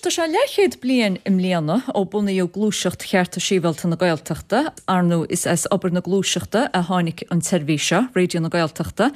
tá sé leathchéad bliain i mbliana ó bunaíodh Gluaiseacht Chearta Sibhialta na Gaeltachta. Ar ndóigh is as obair na gluaiseachta a tháinig an tseirbhís seo, Raidió na Gaeltachta.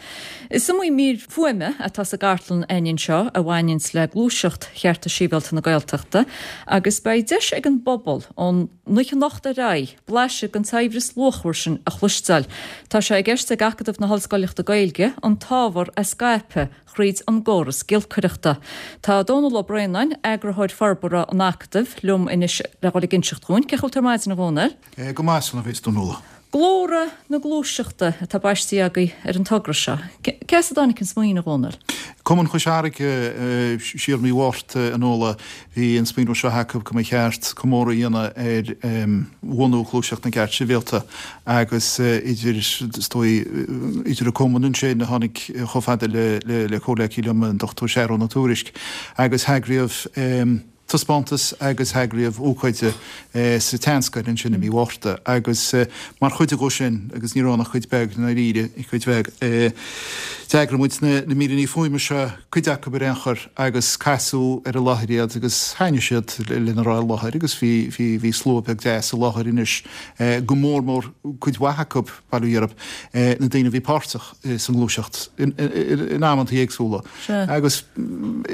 Is iomaí mír fuaime atá sa gcartlann againn anseo a bhaineanns le Gluaiseacht Chearta Sibhialta na Gaeltachta agus beidh deis ag an bpobal ón oíche anocht ar aghaidh blaiseadh den tsaibhreas luachmhar sin a chloisteáil. Tá sé i gceist ag Acadamh na hOllscoilíochta Gaeilge an t-ábhar a scaipeadh thríd an gcóras giolcaireachta. Tá Dónal Ó Braonáin, Eagarthóir Forbartha an Acadaimh, liom anois le dhul ag inseacht dhúinn. Cén chaoi a bhfuil tú ar maidin, a Dhónaill? Go maith, a Fhionnuala. Glórtha na Gluaiseachta atá baistí agaibh ar an togra seo. Cé as a dtáinig an smaoineamh, a Dhónaill? Cumann Chois Fharraige, siar mí Mhárta, a Fhionnuala, Bhí an smaoineamh seo acu go mba cheart comóradh a dhéanamh ar bhunú Ghluaiseacht na gCeart Sibhialta agus idir, is dóigh, idir an cumann ansin a tháinig chomh fada le comhghleacaí liom, an Dr Seathrún Ó Tuairisg, agus eagraíodh taispeántas agus eagraíodh ócáid sa tSeanscoil ansin i mí Mhárta agus mar chuid dhó sin, agus ní raibh ann ach cuid beag i ndáiríre, cuid bheag, d'eagraigh muid na míreanna fuaime seo, cuid acu ar aon chor, agus casadh ar an láthair iad agus thaitnigh siad lena raibh i láthair agus bhí, bhí, bhí slua beag deas i láthair anois, go mór mór cuid mhaith acu, bail ó Dhia orthu, na daoine a bhí páirteach sa ngluaiseacht in, in amantaí éagsúla. Agus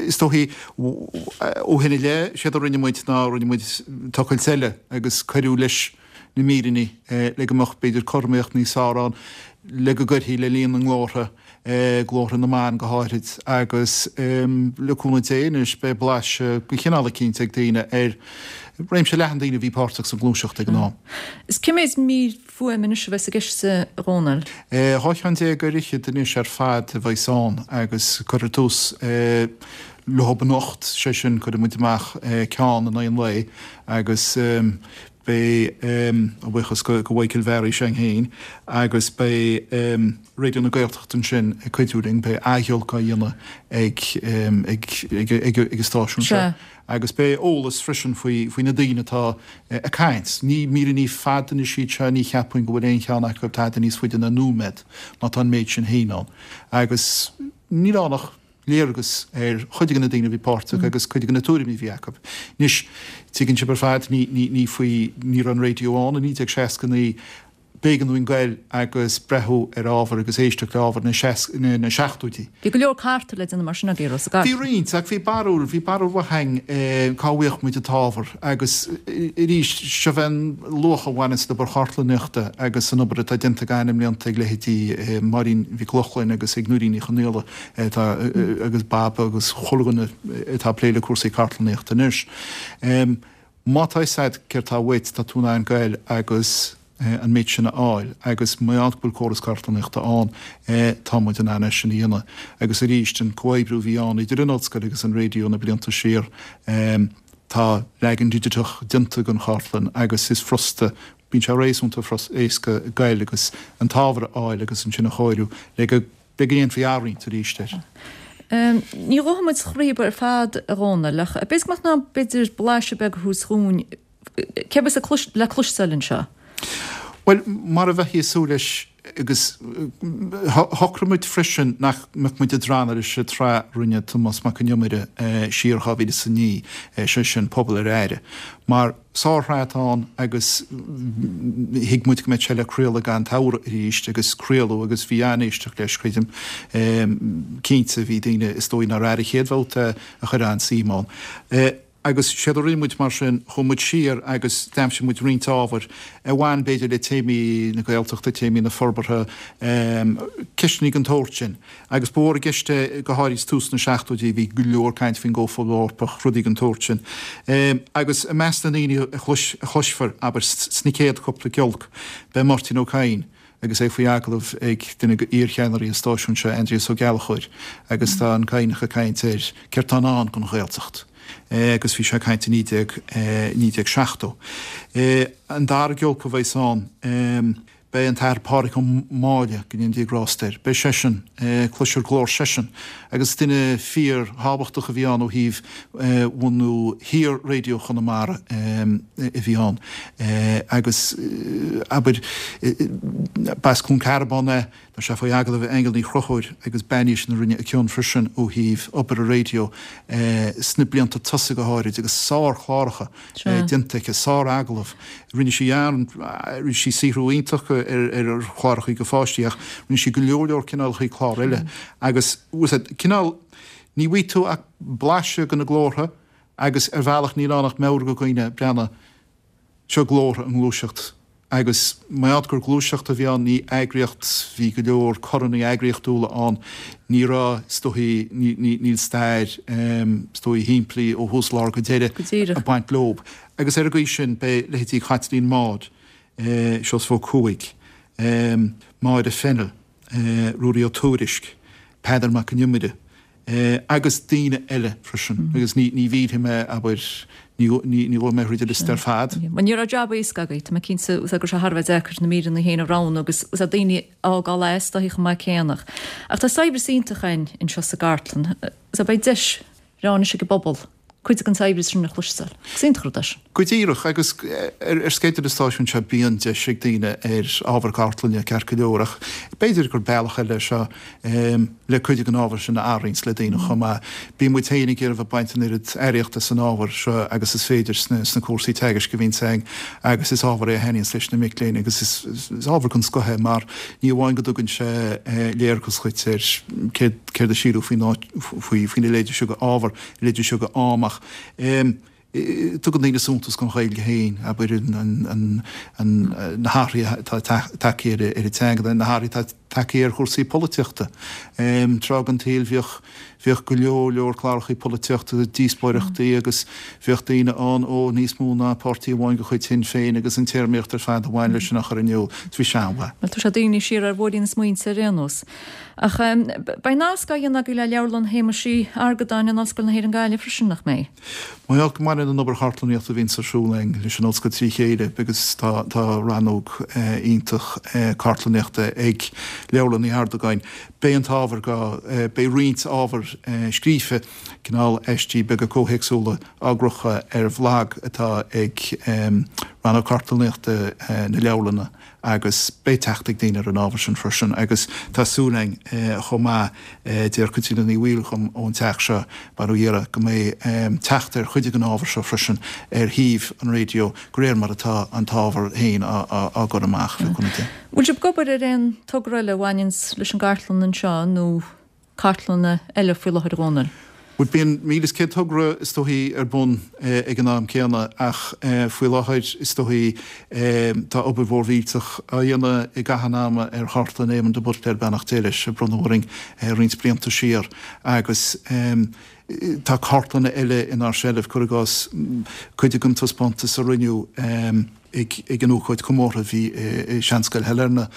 is dóichí ó shin i leith, séard a rinne muid ná rinne muid tochailt eile agus cuireadh leis na míreanna le go mbeadh b'fhéidir cothromaíocht níos fearr ann, le go gcuirfí le líon na nglórtha, glórtha na mban go háithrid, agus le cúnamh Dé anois beidh blaiseadh de chineál eicínt ag daoine ar réimse leathan daoine a bhí páirteach sa ghluaiseacht ag an am. Is cé mhéad mír fuaime anois a bheas i gceist, a Dhónaill? 12 cheann ar fhichead anois ar fad a bheas ann agus cuirfear tús leo anocht, sé sin cuirfidh muid amach ceann in aghaidh an lae agus beidh, a bhuíochas go Mhichael Bhearaí s'againn féin, agus beidh Raidió na Gaeltachta ansin ag cuidiú linn, beidh athghiolc á dhéanamh ag ag an stáisiún seo agus beidh eolas freisin faoi faoi na daoine atá ag caint. Ní míreanna fada anois iad seo, ní cheapfainn go bhfuil aon cheann acu tada níos faide ná nóiméad má tá an méid sin féin ann agus níl ann ach léargas ar chuid de na daoine a bhí páirteach agus cuid de na tuairimí a bhí acu. Anois, tuigeann sibh ar fad, ní, ní, ní faoi, ní raibh an raidió ann i 1969, b'éigean dúinn goil agus breathú ar ábhar agus éisteacht le ábhar na seas, na, na seachtóidí. Bhí go leor cartadh le déanamh mar sin agaibh, raibh sa Bhí roinnt, ach bhí barúil, bhí barúil mhaith againn cá bhfaigheadh muid an t-ábhar agus arís, seo é an luach a bhaineanns le obair chartlannaíochta agus an obair atá déanta againn i mblianta ag leithéidí Máirín Mhic Lochlainn agus ag Nóirín Ní Chonaola, atá agus Baba agus chuile dhuine atá ag plé le cúrsaí cartlannaíochta anois. Má tá fhios a'd céard tá uait, tá tú in ann goil agus an méid sin a fháil agus mar gheall go bhfuil córas cartlannaíochta ann, tá muid in ann é sin a dhéanamh. Agus arís, an comhoibriú a bhí ann idir an ollscoil agus an raidió na blianta siar, tá leagan digiteach déanta den chartlann agus is furasta, bíonn sé réasúnta éasca goil agus an t-ábhar a fháil agus ansin a chóiriú le go le go ndéanfaí athroinnt arís air. Ní ghabhfaidh muid thríob ar fad, a Dhónaill, ach b'fhéidir go mbeadh tú in ann b'fhéidir blaiseadh beag a thabhairt dhúinn cé a bheas le cloisteáil anseo. Bhuel, mar a bheifí ag súil leis, agus shocraigh muid freisin nach mbeadh muid ag drannadh leis an tsraith a rinne Tomás Mac Con Iomaire siar 2009, sé sin Pobal ar Aire, mar Sárshraith atá ann agus thuig muid go mbeadh sé le craoladh gan tsamhradh arís agus craoladh agus bhí an-éisteacht leis, creidim. Cinnte, bhí daoine is dóigh nár airigh an chéad bhabhta é a chuir an-suim ann. Agus séard a rinne muid mar sin, chuaigh muid siar agus d'aimsigh muid roinnt ábhair a bhain b'fhéidir le téamaí na Gaeltachta, téamaí na forbartha, ceisteanna den tsórt sin. Agus ba mhór i gceist é, go háirid tús na seachtóidí, bhí go leor caint faoin gComhphobal Eorpach, rudaí den tsórt sin. Agus i measc na ndaoine a chloisfear, abair, sna céad chúpla giolc, beidh Máirtín Ó Cadhain agus é faoi agallamh ag duine d'iarcheannairí an stáisiúin seo, Aindrias Ó Gallchóir, agus tá an Cadhnach ag caint ar céard tá i ndán don Ghaeltacht. Agus bhí sé ag caint i 1970. An dara giolc a bheas ann, Beidh an tAthair Pádraig Ó Máille, go ndéana Dia grásta air, beidh seisean, cloisfear glór seisean, agus duine fíor thábhachtach a bhí ann ó thaobh bhunú Shaor-Raidió Chonamara a bhí ann agus abair, b'as Cluain Cearbán é. Tá sé faoi agallamh ag Aingeal Ní Chonchúir agus bean í sin a rinne a cion freisin ó thaobh obair an raidió sna blianta tosaigh go háirid agus sár-chláracha déanta aici, sár-agallamh. Rinne sí an, rinne sí saothrú iontach ar chláracha do pháistí ach rinne sí go leor leor cineálacha clár eile agus, cineál, ní bhfaighidh tú ach blaiseadh de na glórtha agus ar bhealach níl ann ach meabhrú do dhaoine breathnú, seo glórtha i ngluaiseacht agus mar gheall gur gluaiseacht a bhí ann, ní eagraíocht, bhí go leor coranna eagraíochtúla ann, ní raibh, is dóichí, níl stair, is dóichí, shimplí ó thús lár go deireadh ag baint leob. Agus ar an gcaoi sin, beidh leithéidí Chaitlín Maude, Seosamh Ó Cuaig, Máire Fennell, Ruairí Ó Tuairisg, Peadar Mac an Iomaire, agus daoine eile freisin, agus ní mhillfidh mé, abair, ní ghabhfaidh mé thríd an liosta ar fad. Bhuel, ní raibh jab éasca agaibh, tá mé cinnte, go raibh sé thar a bheith deacair na míreanna féin a roghnú agus daoine a fhágáil as dóichí chomh maith céanna. Ach tá saibhreas iontach againn anseo sa gcartlann, beidh deis bhreá anois ag an bpobal cuid den saibhreas sin a chloisteáil. Is iontach an rud é sin. Go díreach, agus ar sceideal an stáisiúin seo bíonn deis ag daoine ar ábhar cartlainne ceart go leor ach b'fhéidir gur bealach eile é seo le cuid den ábhar sin a athroinnt le daoine chomh maith. Bíonn muid féin ag iarraidh bheith ag baint an oiread earraíochta as an ábhar seo agus is féidir sna cúrsaí teagaisc a bhíonns againn agus is ábhar é a thaitníonns leis na mic léinn agus is ábhar den scoth é mar ní amháin go dtugann sé léargas dhuit ar céard a síleadh faoin áit faoina leithéid seo de ábhar, a leithéid seo de am ach tugann daoine suntas don Ghaeilge féin, abair, na hathruithe atá tagtha ar an teanga, na hathruithe atá tagtha ar chúrsaí polaitíochta. Tráth den tsaol bhíodh bhíodh go leor leor cláracha polaitíochta, díospóireachtaí agus bhíodh daoine ann ó níos mó ná páirtí amháin de chuid Shinn Féin agus an téarmaíocht ar fad a bhain leis sin á chur in iúl. Bhí sé an-mhaith. Bhuel, tá sé daoine siar ar bhóithrín na smaointe ar aon nós. Ach beidh nasc á dhéanamh agaibh le Leabharlann Shéamuis Uí Argadáin in Ollscoil na hÉireann Gaillimh freisin, nach mbeidh? Mar gheall go mbaineann an obair chartlannaíochta a bhíonns ar siúl againn leis an Ollscoil trí chéile agus tá tá rannóg iontach cartlannaíochta ag Leabharlann Uí Argadáin, beidh an t-ábhar go, beidh roinnt ábhar scríofa, cineál aistí beaga comhthéacsúla á gcrochadh ar bhlag atá ag Rannóg Cartlannaíochta na Leabharlanna. agus beidh teacht ag daoine ar an ábhar sin freisin agus tá súil againn chomh maith, deir Caitríona Ní Bhaoill dhom ón teach seo, bail ó Dhia uirthi, go mbeidh teacht ar chuid den ábhar seo freisin ar shuíomh an raidió de réir mar atá an t-ábhar féin á gcur amach, le cúnamh Dé. Bhfuil sibh ag obair ar aon togra eile a bhaineanns leis an gcartlann anseo nó cartlanna eile faoi láthair, a Dhónaill? Bhuel, bíonn 1,100 togra is dóichí ar bun ag an am céanna ach faoi láthair is dóichí tá obair mhór mhillteach á dhéanamh i gcaitheamh an ama ar Chartlann Éamon de Buitléir, beannacht Dé leis, a bronnadh orainn roinnt blianta siar agus tá cartlanna eile inár seilbh, cuir i gcás cuid den taispeántas a rinneadh. Ag an ócáid comórtha a bhí i Seanscoil Shailearna,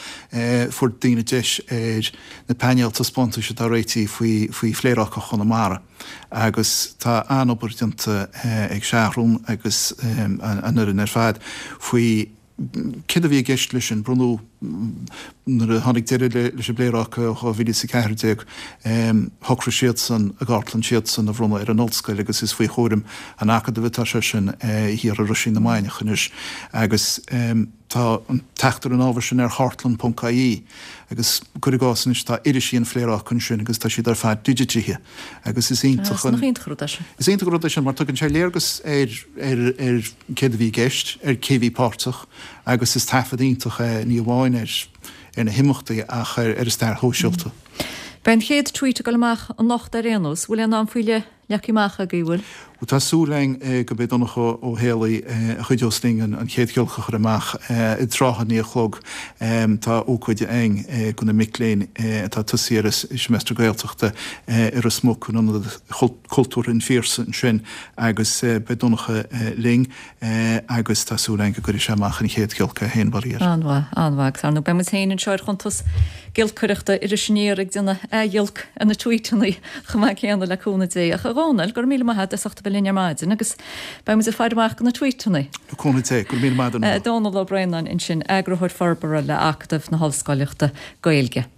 fuair daoine deis ar na painéil taispeántais atá réitithe faoi Phléaráca Chonamara agus tá an-obair déanta ag Seathrún agus an fhoireann ar fad faoi céard a bhí i gceist leis sin. Bronnadh Nuair a tháinig deireadh leis an bPléaráca i 2014, shocraigh siadsan a gcartlann siadsan a bhronnadh ar an Ollscoil agus is faoi chúram an Acadaimh atá sé sin thiar i Roisín na Mainiach anois agus tá an teacht ar an ábhar sin ar chartlann ponc ie agus cuir i gcás anois tá irisí an Phléaráca ansin agus tá siad ar fad digitithe agus is iontach an rud é sin. Is iontach an rud é sin mar tugann sé léargas ar ar céard a bhí i gceist, ar cé a bhí páirteach agus is taifead iontach é ní amháin ar ar na himeachtaí ach ar ar an stair shóisialta. Beidh an chéad tweet ag dul amach anocht ar aon nós. Bhfuil aon am faoi leith leagtha amach agaibh, bhfuil? Bhuel tá súil againn go mbeidh Donncha Ó Héalaí a chuideos linn an chéad ghiolc a chur amach i dtrátha a naoi a chlog. Tá ócáid againn do na mic léinn atá ag tosaí ar an seimeastar Gaeltachta i Ros Muc in Ionad Cultúrtha an Phiarsaigh ansin agus beidh Donncha linn agus tá súil againn go gcuirfidh sé amach an chéad ghiolc é féin, faraor. An-mhaith, an-mhaith agus ar ndóigh beidh muid féin anseo ar chuntas giolcaireachta Iris Aniar ag déanamh athghiolc ar na tweetanna chomh maith céanna le cúnamh Dé. Ach a Dhónaill, go raibh míle maith agat as ucht a bheith linn ar maidin agus beidh muid ag faire amach do na tweetanna. Le cúnamh Dé, go raibh míle maith agat a Nuala. Dónall Ó Braonáin ansin, Eagarthóir Forbartha le Acadamh na hOllscoileachta Gaeilge.